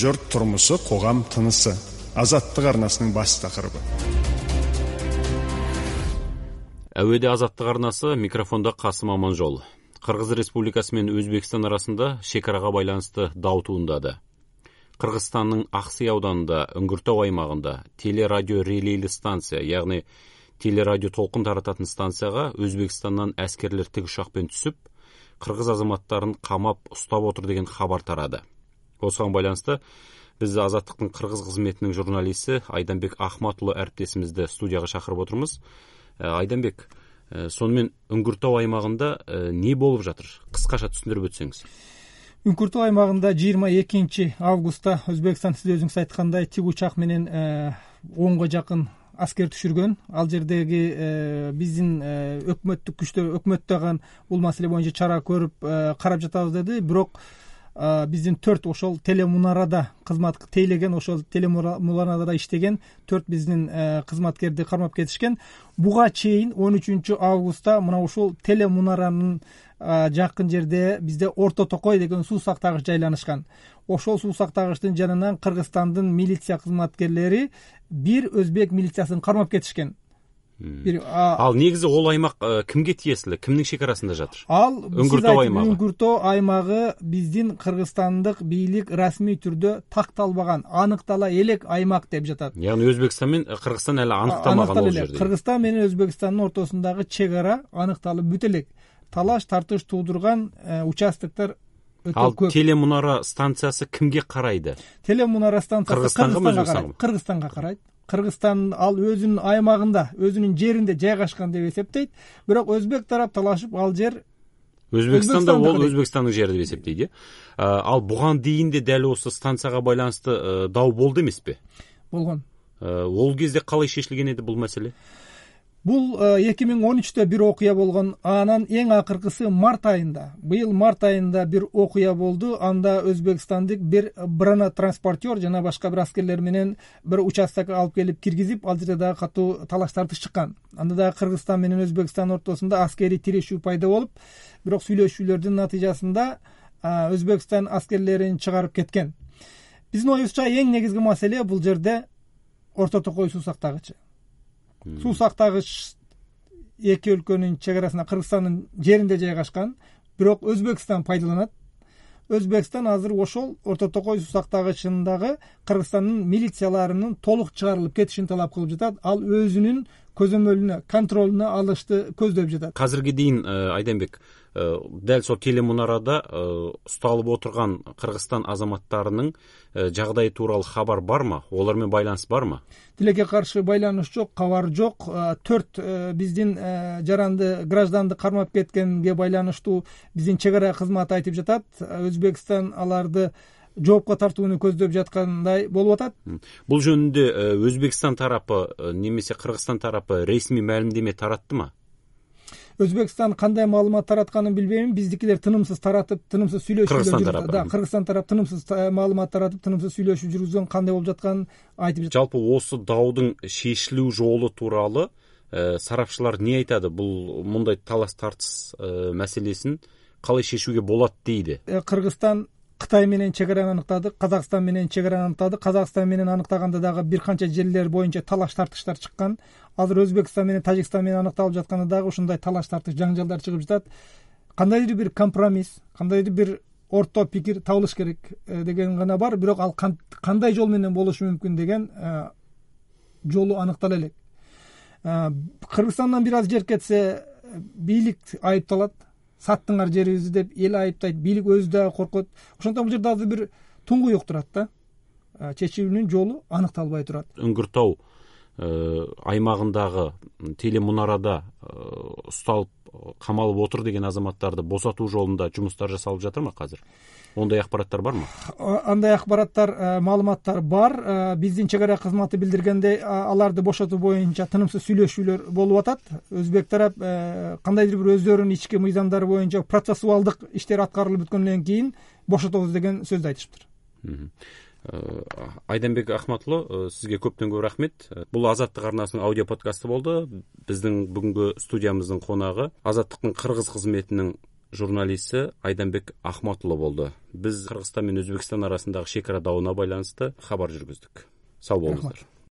жұрт турмушу, қоғам тынысы. Азаттық арнасының бас тақырыбы. Әуеде Азаттық арнасы, микрофонда Касым Аманжол. Кыргыз Республикасы менен Өзбекстан арасында шекарага байланысты дау туындады. Кыргызстандын Аксый ауданында, Үңгүртөө аймагында телерадио релейлі станция, яғни телерадио толкун тарататын станцияга Өзбекстандан әскерлер тикұшакпен түсүп, кыргыз азаматтарын камап ұстап отыр деген хабар тарады. Осыған байланысты біз Азаттықтың кыргыз кызметинин журналисти Айданбек Ахматұлы әріптесімізді студияға шақырып отырмыз. Айданбек, сонымен Үңгүртөө аймагында не болып жатыр? Кыскаша түшүндүрүп өтсөңүз. Үңгүртөө аймагында 22 августта Өзбекстан, сиз өзүңүз айткандай, тик учак менен 10га жакын аскер түшүргөн. Ал жердеги биздин өкмөттүк күчтөр, өкмөт дагы бул маселе боюнча чара көрүп карап жатабыз деди. Бирок биздин 4 ошол телемунарада кызмат тейлеген, ошол телемунарада иштеген 4 биздин кызматкерди кармап кетишкен. Буга чейин 13 августта мына ушул телемунаранын жакын жерде бизде Орто Токой деген суу сактагыч жайланышкан. Ошол суу сактагычтын жанынан Кыргызстандын милиция кызматкерлери бир өзбек милициясын кармап кетишкен. Ал негизи ол аймак кимге тиесилүү? Кимдин шекарасында жатыр? Ал Үңгүртөө аймагы. Үңгүртөө аймагы биздин кыргызстандык бийлик расмий түрдө такталбаган, аныктала элек аймак деп жатат. Яғни Өзбекстан менен Кыргызстан эле аныкталмаган ол жерде. Кыргызстан менен Өзбекстандын ортосундагы чек ара аныкталып бүт элек. Талаш тартыш туудурган участоктор өтө көп. Ал телемунара станциясы кимге карайды? Телемунара станциясы Кыргызстанга карайт. Кыргызстан ал өзүнүн аймагында, өзүнүн жеринде жайгашкан деп эсептейт. Бирок өзбек тарап талашып ал жер Өзбекстанда ол Өзбекстандын жери деп эсептейт. Ал буган дейинде дәл осы станцияга байланысты дау болду эмеспи? Болгон. Ол кезде калай шешилген эди бул маселе? Бул 2013-тө бир окуя болгон. Анан эң акыркысы март айында. Быйыл март айында бир окуя болду. Анда Өзбекстандык бир брана транспортер жана башка бир аскерлер менен бир участокко алып келип киргизип, ал жерде дагы катуу талаш тартыш чыккан. Анда дагы Кыргызстан менен Өзбекстан ортосунда аскерий тирешүү пайда болуп, бирок сүйлөшүүлөрдүн натыйжасында Өзбекстан аскерлерин чыгарып кеткен. Биздин оюбузча эң негизги маселе бул жерде Орто Токой суу сактагычы. Суу сактагыч эки өлкөнүн чек арасында Кыргызстандын жеринде жайгашкан, бирок Өзбекстан пайдаланат. Өзбекстан азыр ошол Орто Токой суу сактагычындагы Кыргызстандын милицияларынын толук чыгарылып кетишин талап кылып жатат. Ал өзүнүн көзөмөлүнө, контролуна алышты көздөп жатат. Азыркы дейин Айданбек, дәл сол телемунарада ұсталып отырған Кыргызстан азаматтарының жагдайы тууралуу хабар бармы? Олар менен байланыш бармы? Тилекке каршы байланыш жок, кабар жок. 4 биздин жаранды гражданды кармап кеткенге байланыштуу биздин чек ара кызматы айтып жатат. Өзбекстан аларды жоопко тартууну көздөп жаткандай болуп атат. Бул жөнүндө Өзбекстан тарапы немесе Кыргызстан тарапы ресми маалымдеме тараттымы? Өзбекстан кандай маалымат таратканын билбейм. Биздикилер тынымсыз таратып, тынымсыз сүйлөшүп жүрүп. Да, Кыргызстан тарап тынымсыз маалымат таратып, тынымсыз сүйлөшүп жүргүзгөн, кандай болуп жатканын айтып жатат. Жалпы осы даудың шешилүү жолу тууралуу сарапчылар не айтады? Бул мындай талаш тартыш маселесин калай шешүүгө болот дейди? Кыргызстан Кытай менен чек араны аныктады, Казакстан менен чек араны аныктады. Казакстан менен аныктаганда дагы бир канча жерлер боюнча талаш тартыштар чыккан. Азыр Өзбекстан менен Тажикстан менен аныкталып жатканда дагы ушундай талаш тартыш, жаңжалдар чыгып жатат. Кандайдыр бир компромисс, кандайдыр бир орто пикир табылыш керек деген гана бар. Бирок ал кандай жол менен болушу мүмкүн деген жолу аныктала элек. Кыргызстандан бир аз жер кетсе бийлик айыпталат. Саттыңар жерибизди деп эл айыптайт, бийлик өзү дагы коркот. Ошондон бул жерде азыр бир туңгуюк турат да. Чечүүнүн жолу аныкталбай турат. Үңгүртөө аймагындагы телемунарада ушталып камалып отур деген азаматтарды босотуу жолунда жумуштар жасалып жатырмы азыр? Ондай акпараттар бармы? Андай акпараттар, маалыматтар бар. Биздин чек ара кызматы билдиргендей, аларды бошотуу боюнча тынымсыз сүйлөшүүлөр болуп атат. Өзбек тарап кандайдыр бир өздөрүнүн ички мыйзамдары боюнча процессуалдык иштер аткарылып бүткөндөн кийин бошотобуз деген сөздү айтышыптыр. Айданбек Ахматұлы, сизге көптөн көп рахмет. Бул Азаттык арнасынын аудио подкасты болду. Биздин бүгүнкү студиябыздын конагы Азаттыктын кыргыз кызметинин журналисти Айданбек Ахматулло болду. Биз Кыргызстан менен Өзбекстан арасындагы шекара дабына байланыштуу кабар жүргүздүк. Сау болуңуздар.